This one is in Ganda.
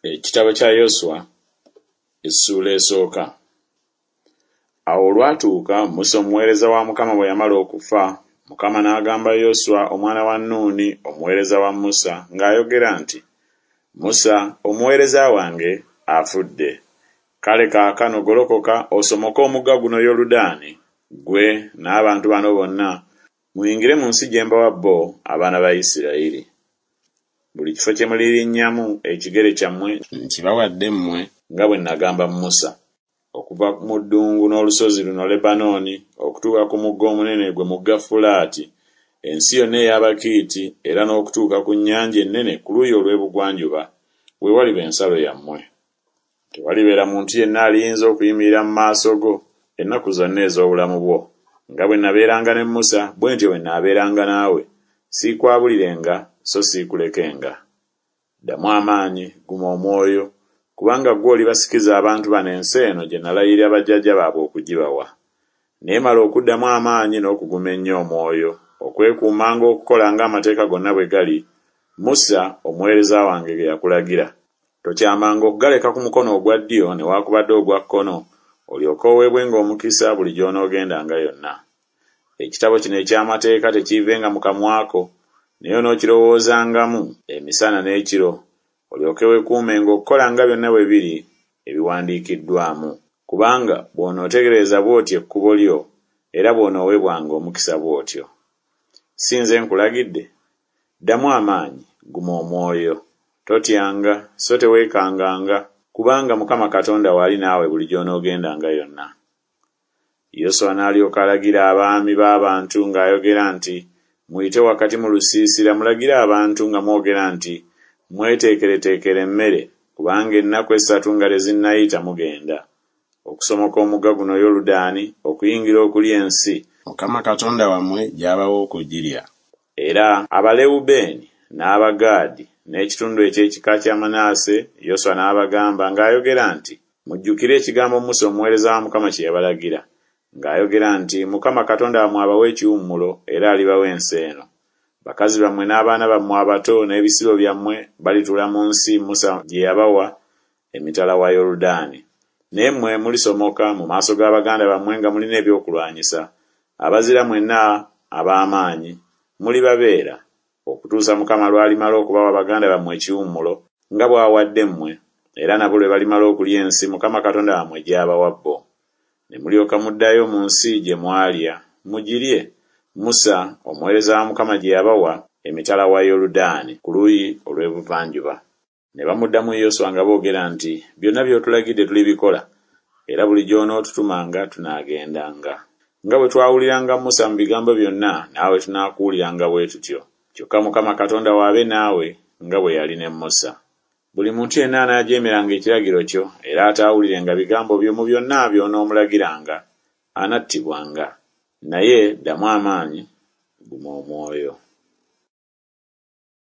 Ekitabo kya Yoswa essuula esooka. Awo olwatuuka Musa omuweereza wa Mukama bwe yamala okufa, Mukama n'agamba Yoswa omwana wa Nuuni omuweereza wa Musa ng'ayogera nti, Musa omuweereza wange afudde. Kale kaakano golokoka osomoke omugga guno Yoludaani, ggwe n'abantu bano bonna, muyingire mu nsi gye mbawa bo abaana ba Isirayiri. Buli kifo kye mulirinnyamu ekigere kyammwe nkibawadde mmwe nga bwe nagamba Musa. Okuva mu ddungu n'olusozi luno Lebanooni okutuuka ku mugga omunene gwe mugga Fulaati, ensi yonna ey'Abakiiti era n'okutuuka ku nnyanja ennene ku luuyi olw'ebugwanjuba, we waliba ensalo yammwe. Tewalibeera muntu yenna aliyinza okuyimirira mu maaso go ennaku zonna ez'obulamu bwo. Nga bwe nabeeranga ne Musa, bwe ntyo bwe naabeeranga naawe, siikwabulirenga so siikulekenga. Ddamu amaanyi, guma omwoyo, kubanga ggwe olibasikiza abantu bano ensi eno gye nalayirira bajjajja baabwe okugibawa. Naye mala okuddamu amaanyi n'okuguma ennyo omwoyo, okwekuumanga okukola ng'amateeka gonna bwe gali, Musa omuweereza wange ge yakulagira. Tokyamanga okugaleka ku mukono ogwa ddyo newaakubadde ogwa kkono, olyoke oweebwenga omukisa buli gy'onoogendanga yonna. Ekitabo kino eky'amateeka tekiivenga mu kamwa ko, naye onookirowoozangamu emisana n'ekiro, olyoke weekuumenga okukola nga byonna bwe biri ebiwandiikiddwamu. Kubanga bw'onootereeza bw'otyo ekkubo lyo, era bw'onooweebwanga omukisa bw'otyo. Si nze nkulagidde? Ddamu amaanyi, guma omwoyo. Totyanga so teweekanganga, kubanga Mukama Katonda wo ali naawe buli gy'onoogendanga yonna. Yoswa n'alyoka alagira abaami b'abantu ng'ayogera nti, Muyite wakati mu lusiisira mulagire abantu nga mwogera nti, Mweteekereteekere emmere, kubanga ennaku essatu nga tezinnayita mugenda okusomoka omugga guno Yoludaani okuyingira okulya ensi Mukama Katonda wammwe gy'abawa okugirya. Era Abalewubeeni n'Abagaadi n'ekitundu eky'ekika kya Manase Yoswa n'abagamba ng'ayogera nti, Mujjukire ekigambo Musa omuweereza wa Mukama kye yabalagira ng'ayogera nti, Mukama Katonda wammwe abawa ekiwummulo era alibawa ensi eno. Bakazi bammwe n'abaana bammwe abato n'ebisibo byammwe balituula mu nsi Musa gye yabawa emitala wa Yoludaani. Naye mmwe mulisomoka mu maaso ga baganda bammwe nga mulina ebyokulwanyisa, abazira mwenna ab'amaanyi, mulibabeera, okutuusa Mukama lw'alimala okubawa baganda bammwe ekiwummulo, nga bw'awadde mmwe, era nabo lwe balimala okulya ensi Mukama Katonda wammwe gy'abawa bo. Ne mulyoka muddayo mu nsi gye mwalya, mugirye, Musa omuweereza wa Mukama gye yabawa emitala wa Yoludaani ku luuyi olw'ebuvanjuba. Ne bamuddamu Yoswa nga boogera nti, Byonna by'otulagidde tulibikola, era buli gy'onootutumanga tunaagendanga. Nga bwe twawuliranga Musa mu bigambo byonna, naawe tunaakuwuliranga bwe tutyo. Kyokka Mukama Katonda wo abe naawe nga bwe yali ne Musa. Buli muntu yenna anaajeemeranga ekiragiro kyo era ataawulirenga bigambo byo mu byonna by'onoomulagiranga, anattibwanga. Naye ddamu amaanyi, guma omwoyo.